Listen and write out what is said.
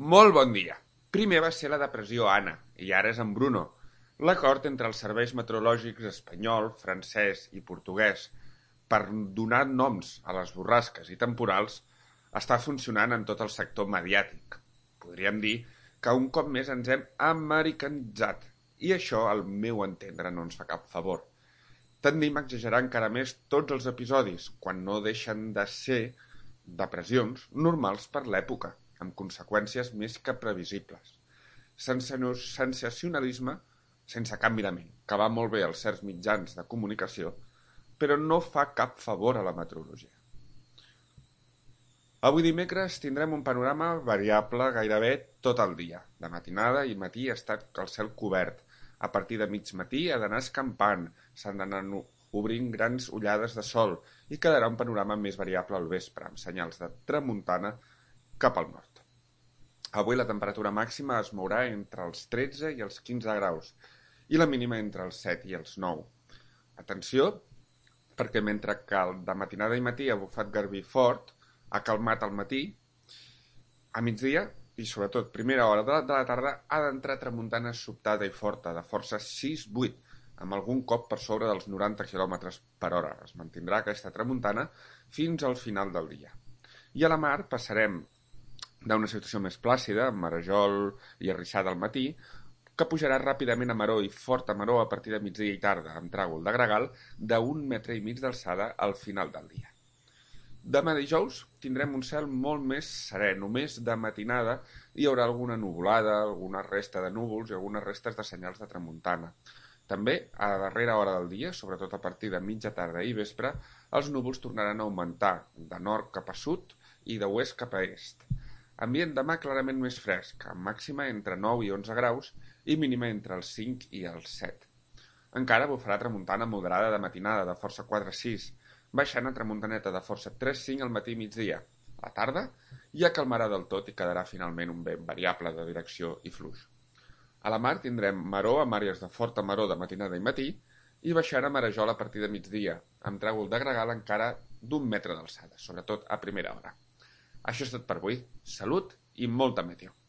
Molt bon dia. Primer va ser la depressió Anna, i ara és en Bruno. L'acord entre els serveis meteorològics espanyol, francès i portuguès per donar noms a les borrasques i temporals està funcionant en tot el sector mediàtic. Podríem dir que un cop més ens hem americanitzat, i això, al meu entendre, no ens fa cap favor. Tendim a exagerar encara més tots els episodis, quan no deixen de ser depressions normals per l'època, amb conseqüències més que previsibles. Sensacionalisme sense cap mirament, que va molt bé als certs mitjans de comunicació, però no fa cap favor a la meteorologia. Avui dimecres tindrem un panorama variable gairebé tot el dia. De matinada i matí està el cel cobert. A partir de mig matí ha d'anar escampant, s'han d'anar obrint grans ullades de sol i quedarà un panorama més variable al vespre, amb senyals de tramuntana cap al nord. Avui la temperatura màxima es mourà entre els 13 i els 15 graus i la mínima entre els 7 i els 9. Atenció, perquè mentre que de matinada i matí ha bufat garbí fort, ha calmat al matí, a migdia i sobretot primera hora de la tarda ha d'entrar tramuntana sobtada i forta, de força 6-8, amb algun cop per sobre dels 90 km per hora. Es mantindrà aquesta tramuntana fins al final del dia. I a la mar passarem d'una situació més plàcida, amb marejol i arrissada al matí, que pujarà ràpidament a maror i forta maror a partir de migdia i tarda, amb tràgol de gregal d'1,5 metres d'alçada al final del dia. Demà dijous tindrem un cel molt més serè, només de matinada hi haurà alguna nuvolada, alguna resta de núvols i algunes restes de senyals de tramuntana. També, a la darrera hora del dia, sobretot a partir de mitja tarda i vespre, els núvols tornaran a augmentar, de nord cap a sud i d'oest cap a est. Ambient demà clarament més fresc, amb màxima entre 9 i 11 graus i mínima entre els 5 i els 7. Encara bufarà tramuntana moderada de matinada de força 4-6, baixant a tramuntaneta de força 3-5 al matí i migdia. A la tarda ja calmarà del tot i quedarà finalment un vent variable de direcció i fluix. A la mar tindrem maror amb àrees de forta maror de matinada i matí i baixant a marejol a partir de migdia, amb tràgol de gregal encara d'1 metre d'alçada, sobretot a primera hora. Això és tot per avui. Salut i molta meteo.